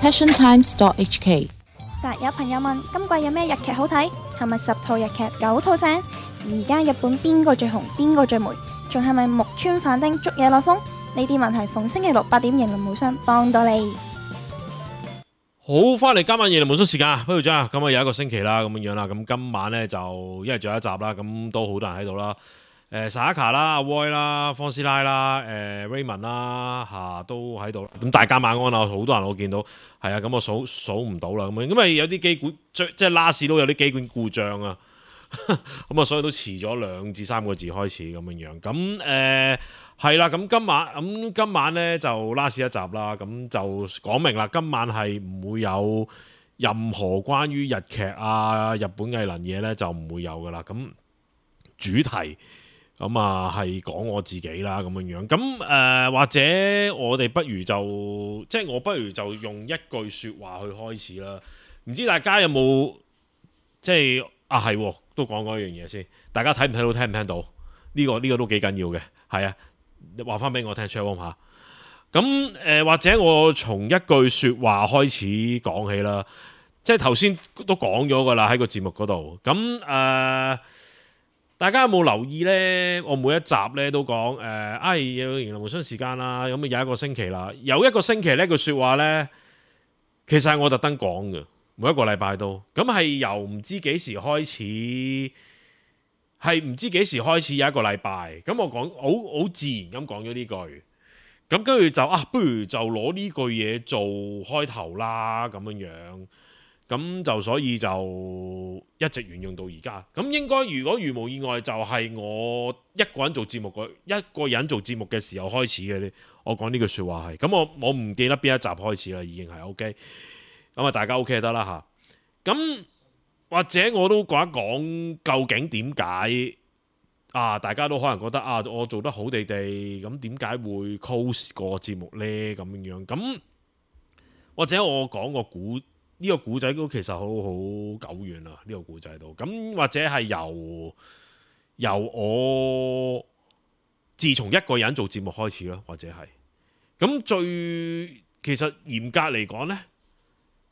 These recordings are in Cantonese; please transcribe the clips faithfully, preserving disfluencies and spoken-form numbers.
passion times dot h k。實有朋友問今季有咩日劇好睇？係咪十套日劇九套正？而家日本邊個最紅？邊個最霉？仲係咪木村反町捉野內風？呢啲問題逢星期六八點迎來無雙幫到你。好，翻嚟今晚夜嚟無雙時間啊，輝長啊，咁啊有一個星期啦，咁樣樣啦，咁今晚咧就因為仲有一集啦，咁都好多人喺度啦。誒 Sayaka 啦、阿 Roy 啦、方師奶啦、誒 Raymond 啦嚇都喺度，咁大家晚安啊！好多人我見到係啊，咁我數數唔到啦，咁樣因為有啲機管即係 last 都有啲機管故障啊，咁啊所以都遲咗兩至三個字開始咁樣樣，咁誒係啦，咁今晚咁今晚咧就 last 一集啦，咁就講明啦，今晚係唔會有任何關於日劇啊、日本藝能嘢咧就唔會有噶啦，咁主題。咁啊，係講我自己啦，咁樣樣。咁誒、呃，或者我哋不如就，即係我不如就用一句説話去開始啦。唔知大家有冇即係啊？係都講嗰樣嘢先。大家睇唔睇到？聽唔聽到？呢、呢個呢、呢個都幾緊要嘅。係啊，話翻俾我聽 check 下。咁誒、呃，或者我從一句説話開始講起啦。即係頭先都講咗噶啦，喺個節目嗰度。咁誒。呃大家有冇留意呢？我每一集咧都講誒，哎，有迎來無雙時間啦，咁有一個星期啦，有一個星期呢句説話呢，其實係我特登講嘅，每一個禮拜都，咁係由唔知幾時開始，係唔知幾時開始有一個禮拜，咁我講好好自然咁講咗呢句，咁跟住就啊，不如就攞呢句嘢做開頭啦，咁樣樣。咁就所以就一直沿用到而家。咁應該如果如無意外，就係我一個人做節目一個人做節目嘅時候開始嘅。我講呢句説話係。咁我我唔記得邊一集開始啦，已經係 OK。咁啊，大家 OK 就得啦嚇。咁或者我都講一講究竟點解啊？大家都可能覺得啊，我做得好地地，咁點解會 close 個節目呢？咁樣樣咁，或者我講個故。呢個古仔都其實好好久遠啦，呢個古仔都咁，或者係由由我自從一個人做節目開始啦，或者係咁最其實嚴格嚟講呢，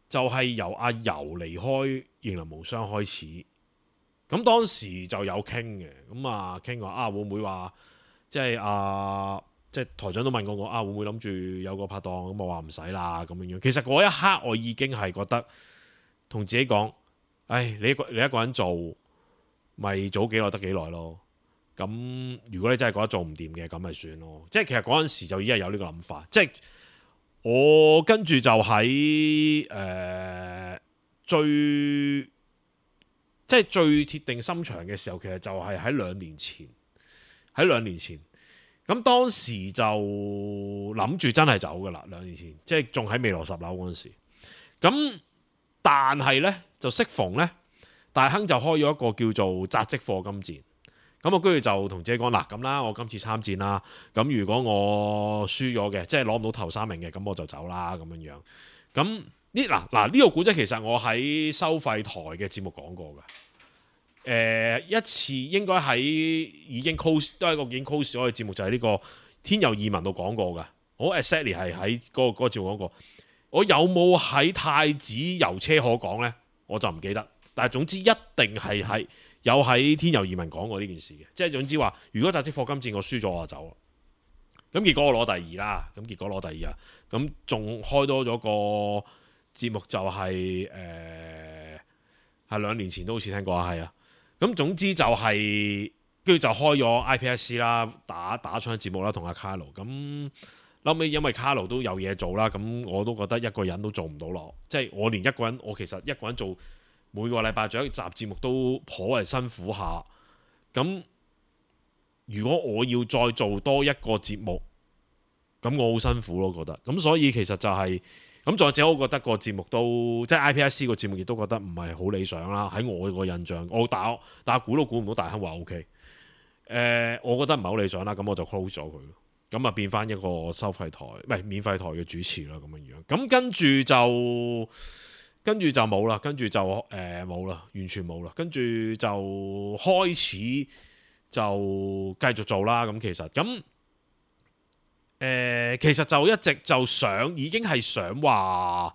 就係由阿游離開迎來無雙開始。咁當時就有傾嘅，咁啊傾話啊會唔會話即係啊？即係台長都問過我啊，會唔會諗住有個拍檔？咁我話唔使啦，咁樣樣。其實嗰一刻我已經係覺得同自己講，唉，你一個你一個人做，咪做幾耐得幾耐咯。咁如果你真係覺得做唔掂嘅，咁咪算咯。即係其實嗰陣時就已經係有呢個諗法。即係我跟住就喺誒、呃、最即係最鐵定心腸嘅時候，其實就係喺兩年前，喺兩年前。咁當時就諗住真係走噶啦，兩年前即係仲喺未來十樓嗰陣時。咁但係呢，就適逢呢，大亨就開咗一個叫做扎職課金戰。咁我跟住就同自己講嗱，咁啦，我今次參戰啦。咁如果我輸咗嘅，即係攞唔到頭三名嘅，咁我就走啦咁樣樣。咁呢嗱嗱呢個古仔其實我喺收費台嘅節目講過㗎。誒、呃、一次應該喺已經 close 都係一個已經 close 咗嘅節目，就係、是、呢個天佑異聞度講過㗎。我 exactly 係喺嗰個嗰、嗰個節目講過。我有冇喺太子遊車河講呢？我就唔記得。但係總之一定係喺有喺天佑異聞講過呢件事嘅。即係總之話，如果扎職課金戰我輸咗我就走。咁結果我攞第二啦。咁結果攞第二啊。咁仲開多咗個節目就係誒係兩年前都好似聽過啊，係啊。咁總之就係跟住就開咗 I P S C 啦，打打槍節目啦，同阿卡路。咁後尾因為卡路都有嘢做啦，咁我都覺得一個人都做唔到咯。即係我連一個人，我其實一個人做每個禮拜做一集節目都頗為辛苦下。咁如果我要再做多一個節目，咁我好辛苦咯，覺得。咁所以其實就係、是。咁再者，我覺得個節目都即係 I P S C 個節目，亦都覺得唔係好理想啦。喺我個印象，我打但係估都估唔到大亨話 O K。誒，我覺得唔係好理想啦，咁我就 close 咗佢，咁啊變翻一個收費台，唔係免費台嘅主持啦，咁樣樣。咁跟住就跟住就冇啦，跟住就誒冇啦，完全冇啦。跟住就開始就繼續做啦。咁其實咁。誒、呃，其實就一直就想，已經係想話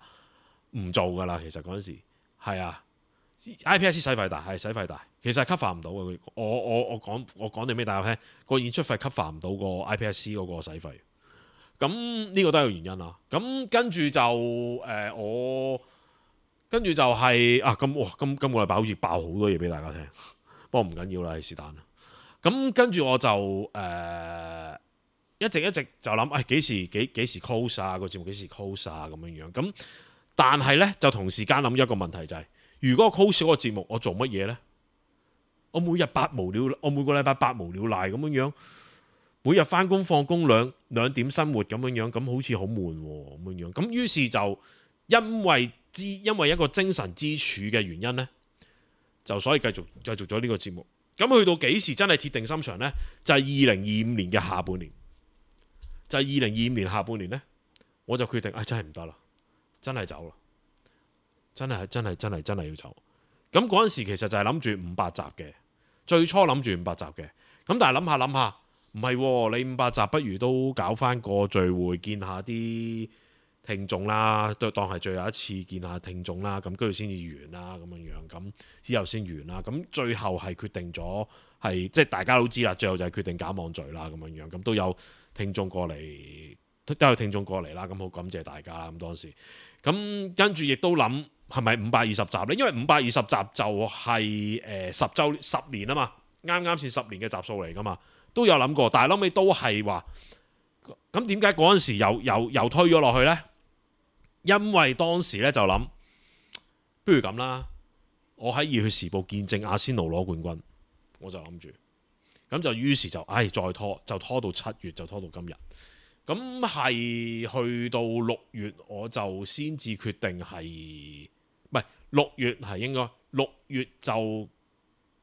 唔做噶啦。其實嗰陣時係啊 ，I P S C 使費大係使費大，其實係 cover 唔到嘅。我我我講我講定俾大家聽，個演出費 cover 唔到個 I P S C 嗰個使費。咁呢個都係個原因啦。咁跟住就誒、呃、我跟住就係、是、啊咁哇今今個禮拜好似爆好多嘢俾大家聽，不過唔緊要啦，係是但啦。咁跟住我就誒、呃、一直一直就諗誒幾時幾幾時 close 啊，個節目幾時 close 啊咁樣樣。咁但係咧就同時間諗一個問題就係、是，如果我 close 嗰個節目，我做乜嘢咧？我每日百無聊，我每個禮拜百無聊賴咁樣樣。每日翻工放工兩兩點生活咁樣樣，咁好似好悶咁樣樣。咁於是就因為之因為一個精神支柱嘅原因呢，就所以繼續繼續咗呢個節目。咁去到幾時真係鐵定心腸呢？就係二零二五年嘅下半年。就係二零二五年下半年呢，我就決定，唉、哎，真係唔得啦，真係走啦，真係真係真係真係要走。咁嗰陣時其實就係諗住五百集嘅，最初諗住五百集嘅。咁但係諗下諗下。唔係喎，你五百集不如都搞翻個聚會，見下啲聽眾啦，都當係最後一次見下聽眾啦，咁跟住先至完啦，咁樣樣，咁之後先完啦。咁最後係決定咗係即係大家都知啦，最後就係決定搞網聚啦，咁樣樣，咁都有聽眾過嚟，都有聽眾過嚟啦，咁好感謝大家啦。咁當時，咁跟住亦都諗係咪五百二十集呢？因為五百二十集就係、是、誒十週十年啊嘛，啱啱先十年嘅集數嚟噶嘛。都有諗過，但係後尾都係話，咁點解嗰陣時又又又推咗落去呢？因為當時咧就諗，不如咁啦，我喺熱血時報見證阿仙奴攞冠軍，我就諗住，咁就於是就唉再拖，就拖到七月，就拖到今日。咁係去到六月，我就先至決定係，唔係六月係應該六月就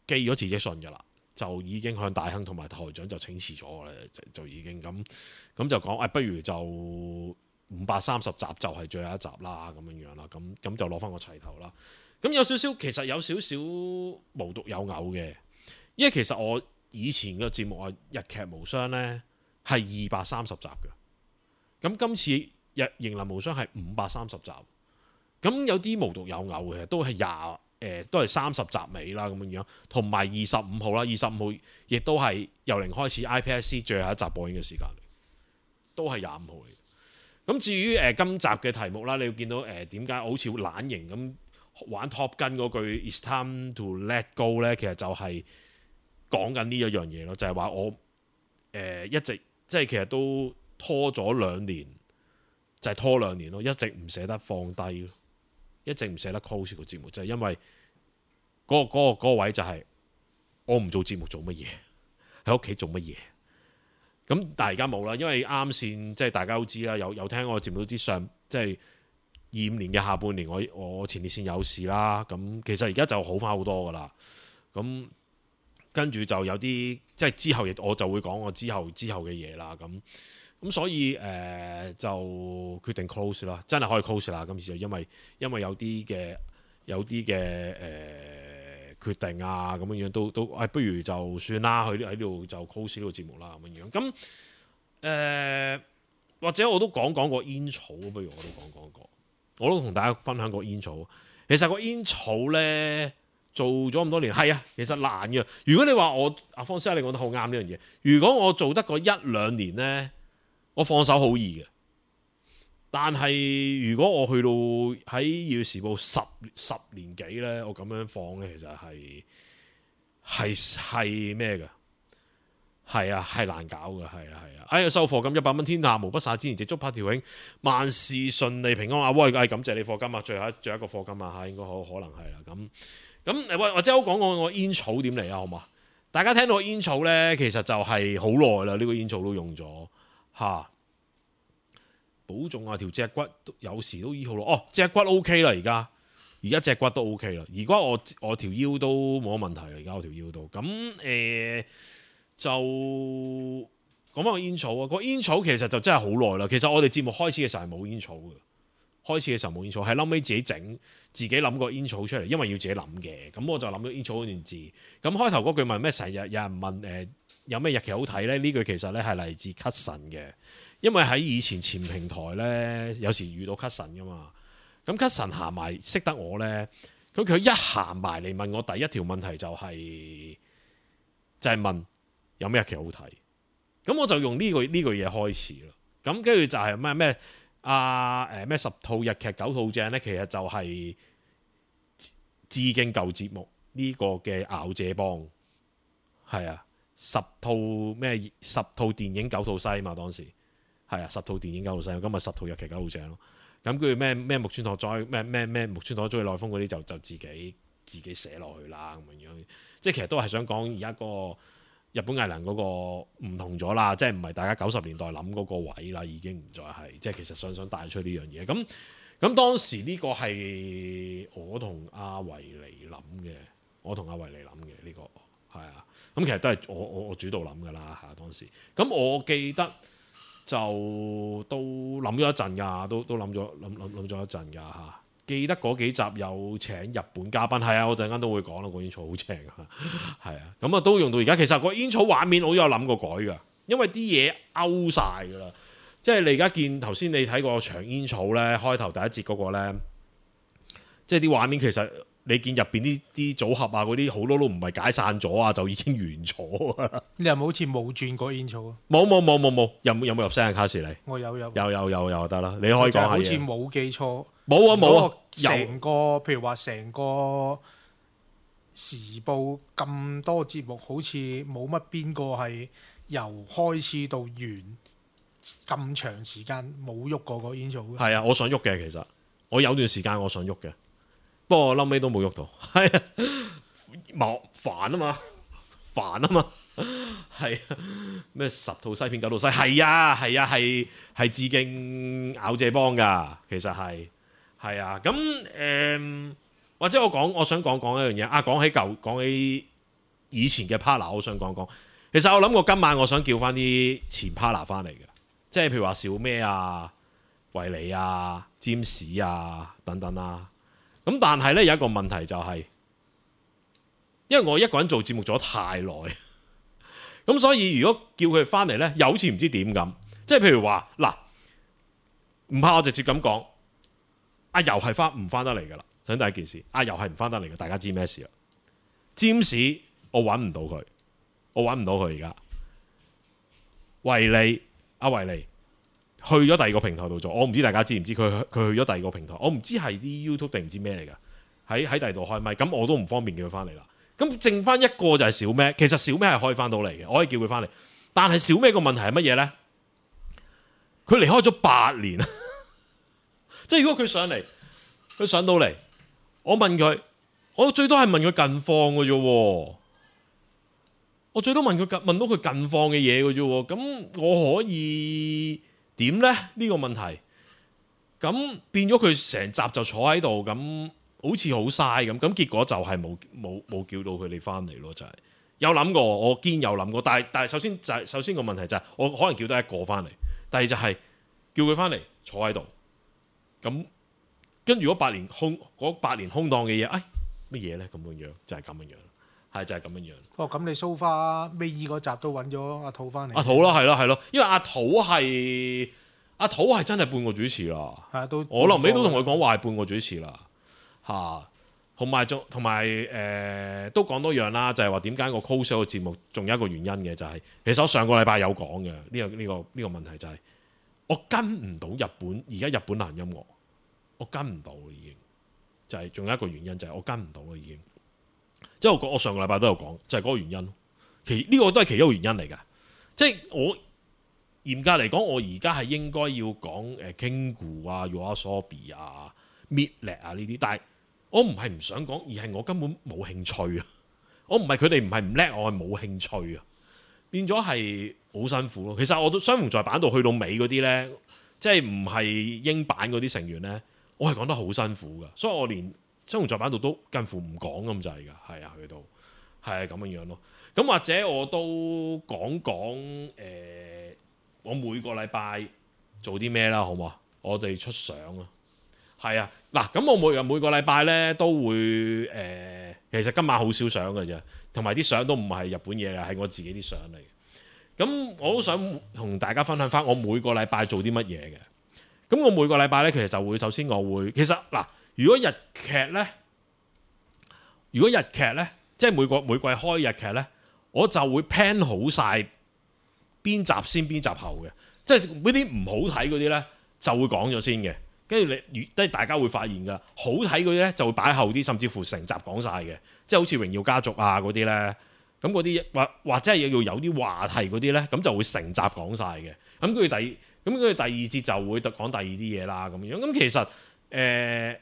寄咗辭職信噶啦。就已經向大亨同埋台長就請辭咗啦，就就已經咁咁就講，誒、哎、不如就五百三十集就係最後一集啦，咁樣樣啦，咁咁就攞翻個齊頭啦。咁有少少其實有少少無獨有偶嘅，因為其實我以前嘅節目啊，日劇無雙呢係二百三十集嘅，咁今次日迎來無雙係五百三十集，咁有啲無獨有偶嘅，都係廿。誒、呃、都係三十集尾啦，咁樣樣，同埋二十五號啦，二十五號亦都係由零開始 I P S C 最後一集播映嘅時間嚟，都係廿五號嚟。咁至於誒、呃、今集嘅題目啦，你要見到誒點解好似懶型咁玩 Top Gun 嗰句 It's time to let go 咧，其實就係講緊呢一樣嘢咯，就係、是、話我誒、呃、一直即係其實都拖咗兩年，就係、是、拖兩年咯，一直唔捨得放低咯。一直唔捨得 close 個節目，就係、是、因為嗰、那個嗰、那個那個位就係我唔做節目做乜嘢，喺屋企做乜嘢。咁但係而家冇啦，因為啱先即係大家都知啦，有有聽我節目都知上即係二五年嘅下半年，我我前列腺有事啦。咁其實而家就好翻好多噶啦。咁跟住就有啲即係之後亦我就會講我之後之後嘅嘢啦。咁。咁所以誒、呃、就決定 close 啦，真係可以 close 啦。今次就因為因為有啲嘅有啲嘅誒決定啊，咁樣樣都都誒、哎，不如就算啦，喺喺度就 close 呢個節目啦，咁樣樣。咁誒、呃、或者我都講講個煙草，不如我都講講個，我都同大家分享個煙草。其實個煙草咧做咗咁多年，係啊，其實難嘅。如果你話我阿方師你講得好啱呢樣嘢，如果我做得個一兩年咧。我放手好易嘅，但係如果我去到喺《要時報》十十年幾咧，我咁樣放咧，其實係係係咩嘅？係啊，係難搞嘅，係啊，係啊。哎呀，收貨金一百蚊，天下無不灑，之前直足拍條影，萬事順利平安啊！喂，哎，感謝你貨金啊，最後一最後一個貨金啊嚇，應該好可能係啦。咁咁誒，或或者我講講個煙草點嚟啊，好嘛？大家聽到煙草咧，其實就係好耐啦，呢、這個煙草都用咗。嚇、啊，保重啊！條脊骨有時都醫好咯。哦，脊骨 O K 啦，而家而家脊骨都 O K 啦。而家我我條腰都冇乜問題啦。而家我條腰都咁誒、呃，就講翻個煙草啊。個煙草其實就真係好耐啦。其實我哋節目開始嘅時候係冇煙草嘅，開始嘅時候冇煙草，係後尾自己整，自己諗個煙草出嚟，因為要自己諗嘅。咁我就諗咗煙草嗰段字。咁開頭嗰句問咩？成日有人問誒。呃有咩日劇好睇呢？呢句其實咧係嚟自 Cut 神嘅，因為喺以前前平台咧，有時遇到 Cut 神噶嘛。咁 Cousin 行埋識得我咧，咁佢一行埋嚟問我第一條問題就係、是、就係、是、問有咩日劇好睇。咁我就用呢、這個呢句嘢開始啦。咁跟住就係咩咩啊誒咩十套日劇九套正咧，其實就係致敬舊節目呢個嘅咬姐幫，係啊，十套咩十套電影九套西嘛，當時係啊，十套電影九套西，咁咪十套日劇九套正咯。咁跟住咩咩木村拓哉咩咩咩木村拓哉內風嗰啲就就自己自己寫落去啦咁樣，即係其實都係想講而家個日本藝能嗰個唔同咗啦，即係唔係大家九十年代諗嗰個位啦，已經唔再係，即係其實想想帶出呢樣嘢。咁咁當時呢個係我同阿維尼諗嘅，我同阿維尼諗嘅呢個係啊。咁其實都係我我我主導諗噶啦嚇當時。咁我記得就都諗咗一陣㗎，都都諗咗諗諗諗咗一陣㗎嚇。記得嗰幾集有請日本嘉賓，係啊，我陣間都會講啦。個煙草好正啊，係啊，咁啊都用到而家。其實個煙草畫面我都有諗過改㗎，因為啲嘢勾晒㗎啦。即係你而家見頭先你睇個長煙草咧，開頭第一節嗰個咧，即係啲畫面其實你見入邊啲啲組合啊嗰啲好多都唔係解散咗啊，就已經完咗。你有冇好似冇轉過煙草啊？冇冇冇冇冇，有冇有冇入聲啊？卡士你？我有有有有有有得啦，你可以講下嘢。好似冇記錯。冇啊冇啊，成個譬如話成個時報咁多節目，好似冇乜邊個係由開始到完咁長時間冇喐過個煙草嘅。係啊，我想喐嘅其實，我有段時間我想喐嘅，不過嬲尾都冇喐到。係啊，冇煩啊嘛，煩啊嘛，係啊，咩十套西片九套西，係啊係啊係係致敬咬謝幫㗎，其實係。係啊，咁誒、呃，或者我講，我想講講一樣嘢啊。講起舊，講起以前嘅 partner，我想講講。其實我諗過今晚我想叫翻啲前 partner 翻嚟嘅，即係譬如話小咩啊、維尼啊、占士啊等等啦。咁但係咧有一個問題就係、是，因為我一個人做節目做得太耐，咁所以如果叫佢翻嚟咧，又好似唔知點咁。即係譬如話嗱，唔怕我直接咁講。阿游係翻唔翻得嚟噶啦，首先第一件事，阿游係唔翻得嚟嘅，大家知咩事啦？占士我揾唔到佢，我揾唔到佢而家。維尼阿維尼去咗第二個平台度做，我唔知大家知唔知佢佢去咗第二個平台，我唔知係啲 YouTube 定唔知咩嚟噶，喺喺第二度開咪，咁我都唔方便叫佢翻嚟啦。咁剩翻一個就係小咩，其實小咩係可以翻到嚟嘅，我可以叫佢翻嚟，但係小咩個問題係乜嘢咧？佢離開咗八年。即係如果佢上嚟，佢上到嚟，我問佢，我最多係問佢近況嘅啫。我最多問佢近問到佢近況嘅嘢嘅啫。咁我可以點咧？呢、呢個問題，咁變咗佢成集就坐喺度，咁好似好嘥咁。咁結果就係冇冇冇叫到佢哋翻嚟咯。就係、係、有諗過，我堅有諗過。但係但係首先就係、首先個問題就係、係、我可能叫得一個翻嚟，第二就係叫佢翻嚟坐喺度。咁跟住嗰八年空嗰八年空檔嘅嘢，哎乜嘢咧？咁樣樣就係咁樣樣，係就係咁樣樣。哦，咁你蘇花尾二嗰集都揾咗阿土翻嚟。阿土咯，係咯，係咯，因為阿土係阿土係真係半個主持啦。係啊，都我臨尾都同佢講話係半個主持啦。嚇，同埋仲同埋誒都講多樣啦，就係話點解個 close 個節目仲有一個原因嘅，就係、是、其實我上個禮拜有講嘅呢個呢、呢個呢、呢個問題就係、是。我跟唔到日本，而家日本流行音樂，我跟唔到已經，就係、是、仲有一個原因就係我跟唔到啦已經。即係我我上個禮拜都有講，就係、是、嗰個原因。其呢、這個都係其中一個原因嚟㗎。即係我嚴格嚟講，我而家係應該要講誒 Kingu 啊、YOASOBI 啊、Midnight 啊呢啲，但係我唔係唔想講，而係我根本冇興趣啊。我唔係佢哋唔係唔叻，我係冇興趣啊。變咗係好辛苦咯。其實我都相逢在版度去到尾嗰啲咧，即係唔係英版嗰啲成員咧，我係講得好辛苦噶。所以我連相逢在版度都近乎唔講咁滯噶。係啊，去到係咁樣樣咯。咁或者我都講講誒，我每個禮拜做啲咩啦，好唔好啊？我哋出相啊，係啊。嗱，咁我每日每個禮拜咧都會誒、呃，其實今晚好少相嘅啫。同埋啲相都唔係日本嘢啊，係我自己啲相嚟嘅。咁我都想同大家分享翻我每個禮拜做啲乜嘢嘅。咁我每個禮拜咧，其實就會首先我會其實嗱，如果日劇咧，如果日劇咧，即係每個每季開日劇咧，我就會 plan 好晒邊集先邊集後嘅，即係嗰啲唔好睇嗰啲咧就會講咗先嘅，跟住你即係大家會發現㗎，好睇嗰啲咧就會擺後啲，甚至乎成集講晒嘅，即係好似榮耀家族啊嗰啲咧。咁嗰啲或或者係要有啲話題嗰啲咧，咁就會成集講晒嘅。咁跟住第咁跟住第二節就會講第二啲嘢啦，咁樣。咁其實誒、呃、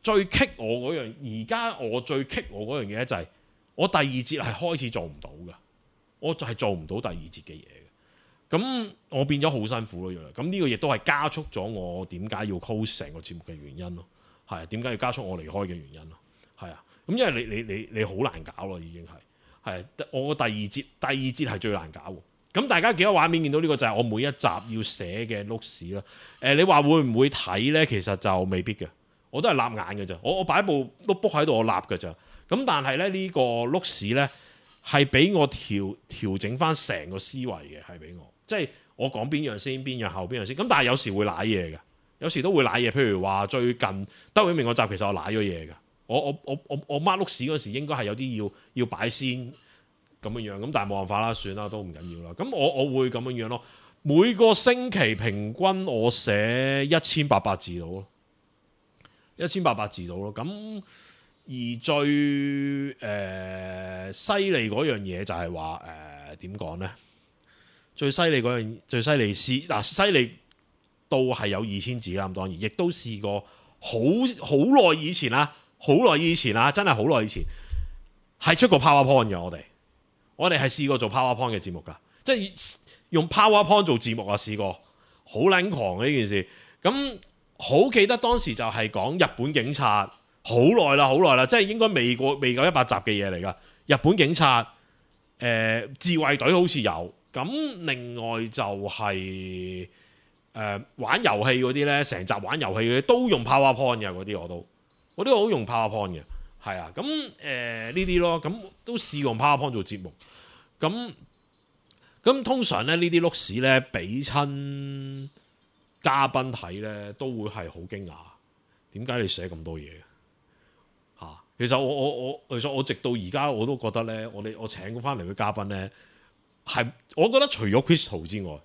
最棘我嗰樣，而家我最棘我嗰樣嘢咧就係我第二節係開始做唔到嘅，我就係做唔到第二節嘅嘢嘅。咁我變咗好辛苦咯，咁呢個亦都係加速咗我點解要 close 成個節目嘅原因咯。係啊，點解要加速我離開嘅原因咯？係啊。咁因為你你你你好難搞咯，已經係係我個第二節第二節係最難搞喎。咁大家幾個畫面見到呢個就係我每一集要寫嘅碌屎啦。誒、呃，你話會唔會睇咧？其實就未必嘅，我都係立眼嘅咋。我我擺部碌 book 喺度，我立嘅咋。咁但係咧呢、這個碌屎咧係俾我調調整翻成個思維嘅，係俾我即係我講邊樣先，邊樣後邊樣先。咁但係有時會舐嘢嘅，有時都會舐嘢。譬如話最近兜永明個集，其實我舐咗嘢嘅。我我我我我孖碌屎嗰時應該係有啲要要擺先咁樣樣，咁但係冇辦法啦，算啦，都唔緊要啦。咁我我會咁樣樣咯。每個星期平均我寫一千八百字到咯，一千八百字到咯。咁而最誒犀利嗰樣嘢就係話誒點講咧？最犀利嗰樣最犀利是嗱，犀利到係有二千字啦。咁當然亦都試過好好耐以前啦。好耐以前啊，真係好耐以前係出過 PowerPoint 嘅。我哋我哋係試過做 PowerPoint 嘅節目㗎，即係用 PowerPoint 做節目啊，試過好撚狂嘅呢件事。咁好記得當時就係講日本警察，好耐啦，好耐啦，即係應該未過未夠一百集嘅嘢嚟㗎。日本警察誒、呃、自衛隊好似有，咁另外就係、是、誒、呃、玩遊戲嗰啲咧，成集玩遊戲嗰啲都用 PowerPoint 嘅嗰啲我都。我都好用 PowerPoint 嘅，係啊，咁誒呢啲咯，咁都試用 PowerPoint 做節目，咁咁通常咧呢啲碌屎咧俾親嘉賓睇咧，都會係好驚訝，點解你寫咁多嘢嚇、啊？其實我我我其實我直到而家我都覺得咧，我哋我請翻嚟嘅嘉賓咧，係我覺得除咗 Crystal 之外，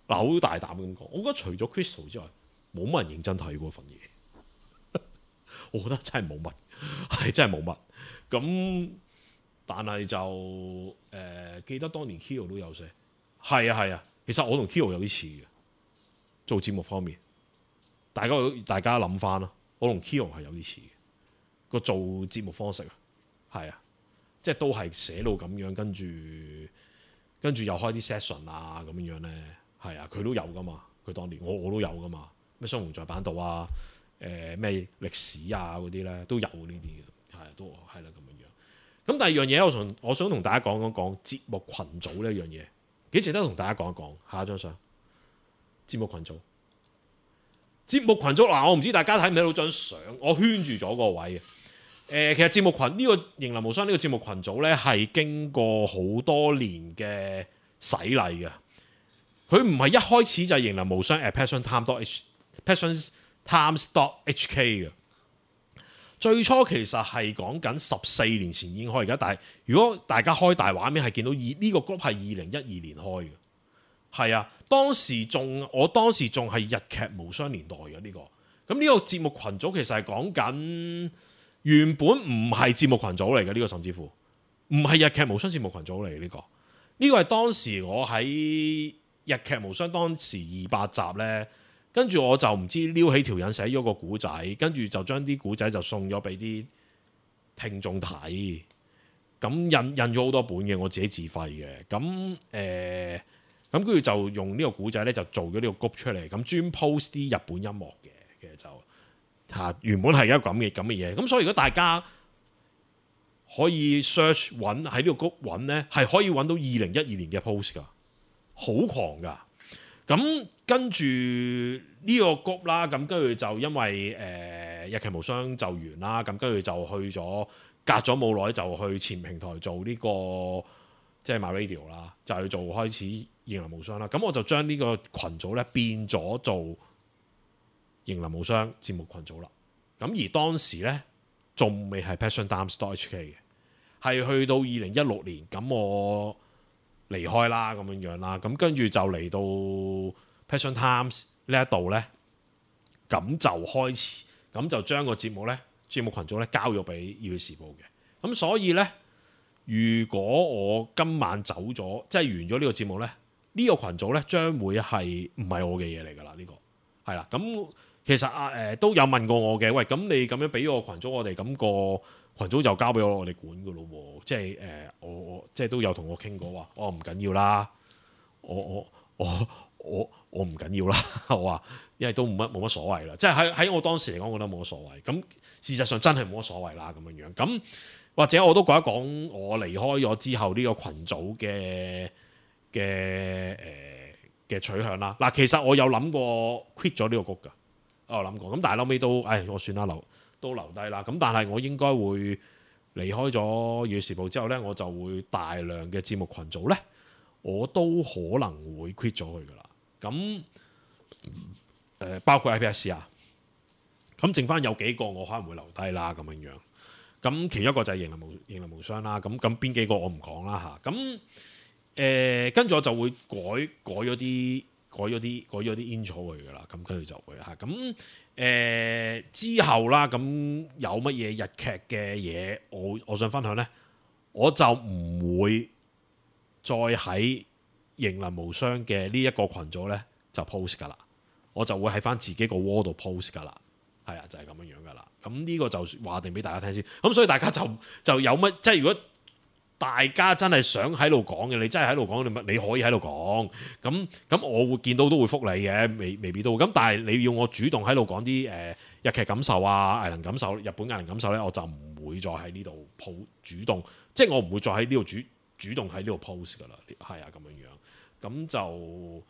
嗱好大膽咁講，我覺得除咗 Crystal 之外，冇乜人認真睇過份嘢。我覺得真係冇乜，係真係冇乜。咁但係就誒、呃、記得當年 Kyo 都有寫，係啊係啊。其實我同 Kyo 有啲似嘅，做節目方面，大家大家諗翻啦。我同 Kyo 係有啲似嘅個做節目方式啊，係啊，即係都係寫到咁樣，跟住跟住又開啲 session 啊咁樣樣咧，係啊，佢都有噶嘛。佢當年我我都有噶嘛，咩雙雄在版度啊。誒咩歷史啊嗰啲咧都有呢啲嘅，係都係啦咁樣樣。咁第二樣嘢，我想我想同大家講講講節目群組呢一樣嘢，幾值得同大家講一講。下一張相，節目群組，節目群組嗱，我唔知大家睇唔睇到張相，我圈住咗個位嘅。誒、呃，其實節目群呢、呢個迎難無雙呢個節目群組咧，係經過好多年嘅洗禮嘅。佢唔係一開始就係迎難無雙 at passion time dot h passion times dot h k 嘅，最初其實係講緊十四年前已經開，而家但係如果大家開大畫面係見到呢、呢個 group 係二零一二年開嘅，係啊，當時仲我當時仲係日劇無雙年代嘅呢、呢個，咁呢個節目群組其實係講緊原本唔係節目群組嚟嘅呢個，甚至乎唔係日劇無雙節目群組嚟嘅呢個，呢、呢個係當時我喺日劇無雙當時二百集呢。跟住我就唔知撩起條引寫咗個古仔，跟住就將啲古仔就送咗俾啲聽眾睇。咁印印咗好多本嘅，我自己自費嘅。咁誒，咁跟住就用呢個古仔咧，就做咗呢個 group 出嚟，咁專 post 啲日本音樂嘅。其實就嚇原本係一個咁嘅咁嘅嘢。咁所以如果大家可以 search 揾喺呢個 group 揾咧，係可以揾到二零一二年嘅 post 噶，好狂噶。咁跟住呢個 group 啦，咁跟住就因為誒、呃、日劇無雙就完啦，咁跟住就去咗隔咗冇耐就去前平台做呢個即係 MyRadio 啦，就去做開始型林無雙啦。咁我就將呢個群組咧變咗做型林無雙節目群組啦。咁而當時咧仲未係 passiontimes.hk 嘅，係去到二零一六年，咁我離開啦咁樣樣啦。咁跟住就嚟到 passiontimes 呢一度咧，咁就開始，咁就將個節目咧節目群組咧交咗俾《熱血時報》嘅。咁所以咧，如果我今晚走咗，即係完咗呢個節目咧，呢、這個群組咧將會係唔係我嘅嘢嚟㗎啦？呢、這個係啦。咁其實啊誒、呃、都有問過我嘅，喂，咁你咁樣俾個群組我哋，咁、那個群組就交俾我我哋管㗎咯喎。即係誒、呃、我我即係都有同我傾過話，我唔緊要啦，我我我我我唔緊要啦。我話因為都冇乜冇乜所謂啦。即係喺喺我當時嚟講，我覺得冇乜所謂。咁事實上真係冇乜所謂啦，咁樣樣咁。或者我都講一講我離開咗之後呢個群組嘅嘅誒嘅取向啦。嗱，其實我有諗過 quit 咗呢個谷㗎，我有諗過。咁但係後尾都，唉，我算啦，留都留低啦。咁但係我應該會離開咗《熱血時報》之後咧，我就會大量嘅節目群組咧，我都可能會 quit 咗佢㗎啦。咁誒、呃、包括 I P S 啊，咁剩翻有幾個我可能會留低啦，咁樣樣。咁其中一個就係型林無型林無雙啦，咁咁邊幾個我唔講啦嚇。咁誒跟住我就會改改咗啲改咗啲改咗啲 intro 去噶啦。咁跟住就會嚇。咁誒、呃、之後啦，咁有乜嘢日劇嘅嘢，我我想分享咧，我就唔會再喺型林無雙嘅呢一個群組咧就 post 噶啦，我就會喺翻自己個窩度 post 噶啦。係啊，就係、是、咁樣樣噶啦。咁呢個就話定俾大家聽先。咁所以大家就就有乜，即係如果大家真係想喺度講嘅，你真係喺度講，你你可以喺度講。咁咁我會見到都會覆你嘅，未未必都會。咁但係你要我主動喺度講啲誒日劇感受啊、藝能感受、日本藝能感受咧，我就唔會再喺呢度 po 主動，即係我唔會再喺呢度主主動喺呢度 post 噶啦。係啊，咁樣樣。咁就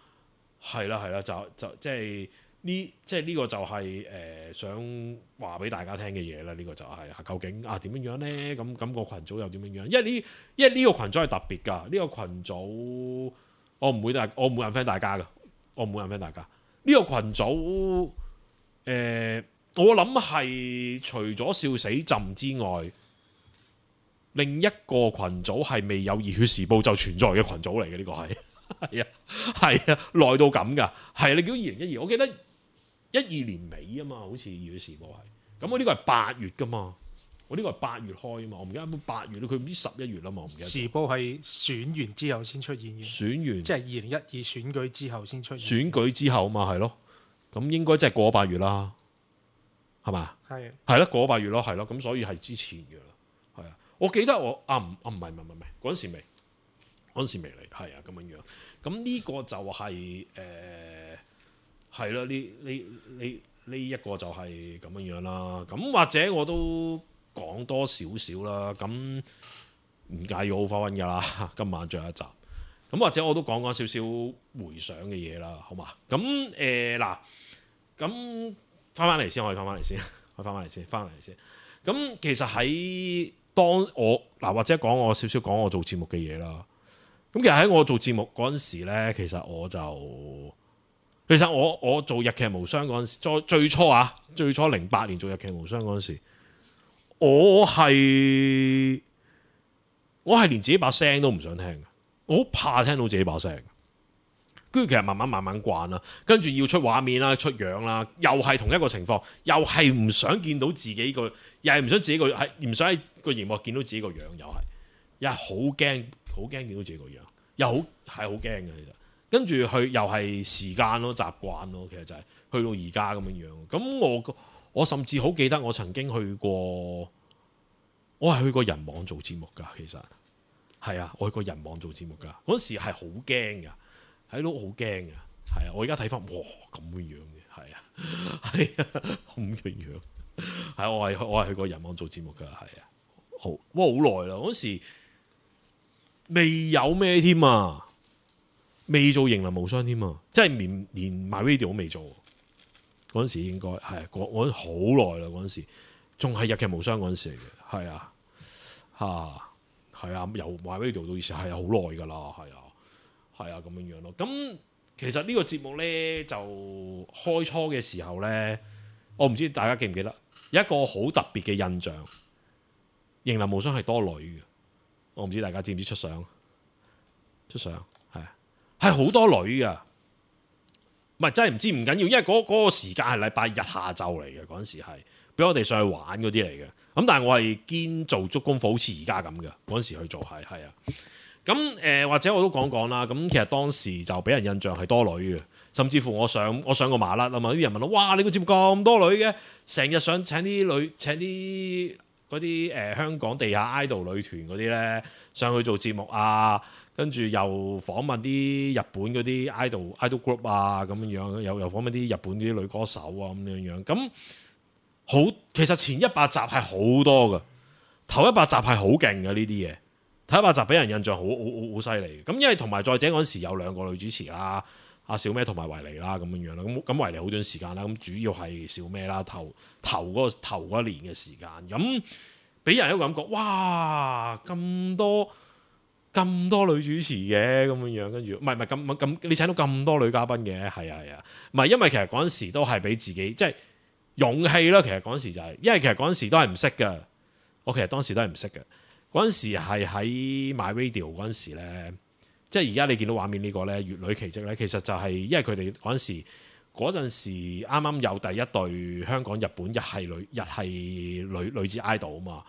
係啦，係啦，就就即係。呢即係呢個就係、是、誒、呃、想話俾大家聽嘅嘢啦。呢、這個就係、是、究竟啊點樣樣咧？咁咁、那個群組又點樣樣？因為呢因為呢個群組係特別㗎。呢、這個群組我唔會大我唔會 unfriend 大家㗎。我唔會 unfriend 大家。呢、這個群組誒、呃，我諗係除咗笑死朕之外，另一個群組係未有熱血時報就存在嘅群組嚟嘅。呢、這個係係啊係啊，耐到咁㗎。係你叫二零一二，我記得。一二年尾啊嘛，好似《熱血時報》係，咁我呢個係八月噶嘛，我呢個係八月開啊嘛，我唔記得八月咯，佢唔知十一月啦嘛，我唔記得。時報係選完之後先出現嘅，選完即係二零一二選舉之後先出現。選舉之後嘛，係咯，咁應該即係過咗八月啦，係嘛？係係咯，過咗八月咯，係咯，咁所以係之前嘅啦，係啊，我記得我啊唔啊唔係唔係唔係嗰陣時未，嗰陣時未嚟，係啊咁樣樣，咁呢個就係、是、誒。呃係咯，呢呢呢呢一個就係咁樣樣啦。咁或者我都講多少少啦。咁唔介意 overrun 㗎啦。今晚最後一集。咁或者我都講講少少回想嘅嘢啦，好嘛？咁誒嗱，咁翻翻嚟先，可以翻翻嚟先，可以翻翻嚟先，翻嚟先。咁其實喺當我嗱或者講我少少講我做節目嘅嘢啦。咁其實喺我做節目嗰陣時咧，其實我就。其實我我做日劇無雙嗰陣時，最最初啊，最初零八年做日劇無雙嗰陣時，我係我係連自己把聲都唔想聽嘅，我好怕聽到自己把聲。跟住其實慢慢慢慢慣啦，跟住要出畫面啦、出樣啦，又係同一個情況，又係唔想見到自己個，又係唔想自己個係唔想喺個熒幕見到自己個樣，又係又係好驚，好驚見到自己個樣，又好係好驚嘅其實。跟住去又係時間咯、習慣咯，其實就係去到而家咁樣樣。咁我我甚至好記得我曾經去過，我係去過人網做節目㗎。其實係啊，我去過人網做節目㗎。嗰時係好驚㗎，睇到好驚㗎。係啊，我而家睇翻，哇咁樣樣嘅，係啊，係啊，咁樣樣。係我係我係去過人網做節目㗎，係啊，好哇好耐啦。嗰時未有咩添啊。未做型林無雙添啊！即係連連 MyRadio 都未做，嗰陣時應該係我我好耐啦。嗰陣時仲係日劇無雙嗰陣時嚟嘅，係啊嚇係啊，由 MyRadio 到以前係好耐㗎啦，係啊，係啊咁樣樣咯。咁其實呢個節目咧就開初嘅時候咧，我唔知大家記唔記得有一個好特別嘅印象，型男無雙係多女嘅，我唔知大家知唔知出相？出相係啊，係好多女㗎。唔係真係唔知唔緊要，因為嗰嗰個時間係禮拜日下晝嚟嘅，嗰陣時係俾我哋上去玩嗰啲嚟嘅。咁但係我係堅做足功課，好似而家咁嘅嗰陣時去做係係啊。咁誒、呃、或者我都講講啦。咁其實當時就俾人印象係多女嘅，甚至乎我上我上過麻甩啊嘛。啲人問我：哇！你個節目咁多女嘅，成日想請啲女請啲嗰啲誒香港地下 idol 女團嗰啲咧上去做節目啊！跟住又訪問啲日本嗰啲 idol idol group 啊咁樣樣，又又訪問啲日本啲女歌手啊咁樣樣。咁好，其實前一百集係好多㗎，頭一百集係好勁嘅呢啲嘢。頭一百集俾人印象好好好好犀利。咁因為同埋再者嗰陣時有兩個女主持啦，阿小咩同埋維尼啦咁樣樣啦。咁咁維尼好短時間啦，咁主要係小咩啦，頭頭嗰個頭嗰一年嘅時間。咁俾人一個感覺，哇咁多！咁多女主持嘅咁樣樣，跟住唔係唔係咁咁，你請到咁多女嘉賓嘅，係啊係啊，唔係因為其實嗰陣時都係俾自己即係勇氣啦。其實嗰陣時就係、是，因為其實嗰陣時都係唔識嘅。我其實當時都係唔識嘅。嗰陣時係喺 MyRadio 嗰陣時咧，即係而家你見到畫面個呢個咧《粵女奇蹟》咧，其實就係因為佢哋嗰陣時嗰陣時啱啱有第一對香港日本日系女日系女女子 idol 啊嘛。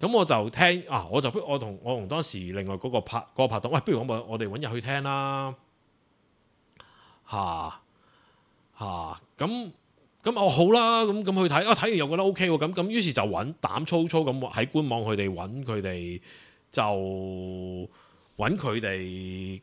咁我就聽啊，我就我同我同當時另外嗰個拍嗰、嗰個拍檔，喂，不如我我哋揾日去聽啦，嚇嚇咁咁哦好啦，咁咁去睇啊，睇完又覺得 O K 喎，咁咁於是就揾膽粗粗咁喺官網佢哋揾佢哋就揾佢哋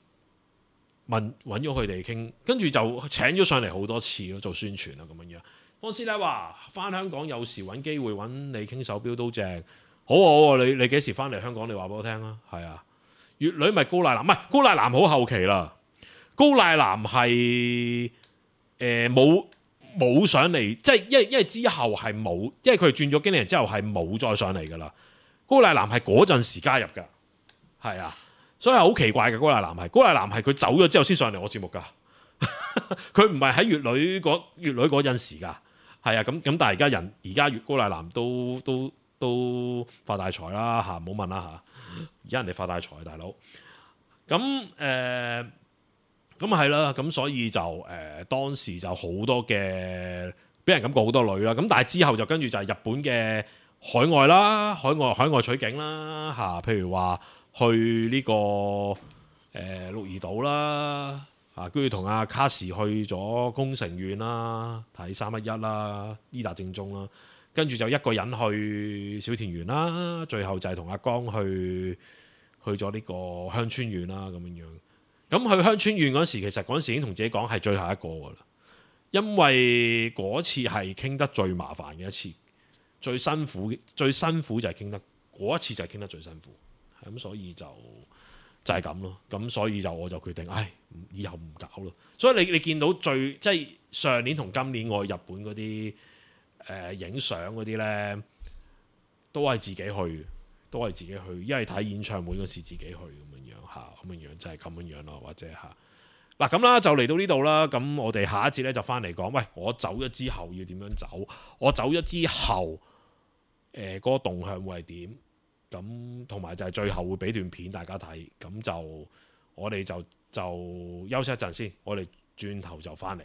問揾咗佢哋傾，跟住就請咗上嚟好多次咯，做宣傳啊咁樣樣。方師奶話翻香港有時揾機會揾你傾手錶都正。好好啊！你你幾時翻嚟香港？你話俾我聽啊！係啊，粵女咪高乃南，唔係高乃南好後期啦。高乃南係誒冇冇上嚟，即係因為因為之後係冇，因為佢轉咗經理人之後係冇再上嚟噶啦。高乃南係嗰陣時加入㗎，係啊，所以係好奇怪嘅。高乃南係高乃南係佢走咗之後先上嚟我節目㗎，佢唔係喺粵女嗰粵女嗰陣時㗎，係啊，咁咁但係而家人而家粵高乃南都都。都發大財啦嚇，唔好問啦嚇。而家人哋發大財，大佬。咁誒，咁係啦。咁所以就誒、呃、當時就好多嘅，俾人感覺好多女啦。咁但係之後就跟住就係日本嘅海外啦，海外海外取景啦嚇。譬如話去呢、這個誒、呃、鹿兒島啦嚇，跟住同阿卡士去咗宮城縣啦，睇三一一啦，伊達正宗啦。跟住就一個人去小田園啦，最後就係同阿江去去咗呢個鄉村縣啦咁樣樣。咁去鄉村縣嗰時，其實嗰時已經同自己講係最後一個噶啦，因為嗰次係傾得最麻煩嘅一次，最辛苦最辛苦就係傾得嗰一次就係傾得最辛苦，咁所以就就係咁咯。咁所以就我就決定，唉，以後唔搞咯。所以你你見到最即係上年同今年我去日本嗰啲。誒影相嗰啲咧，都係自己去，都係自己去，因為睇演唱會嗰時自己去咁樣樣嚇，咁樣樣就係咁樣樣咯，或者嚇嗱咁啦，就嚟到呢度啦。咁我哋下一節咧就翻嚟講，喂，我走咗之後要點樣走？我走咗之後，誒、呃、嗰、嗰個動向會係點？咁同埋就係最後會俾段片大家睇，咁就我哋就就休息一陣先，我哋轉頭就翻嚟。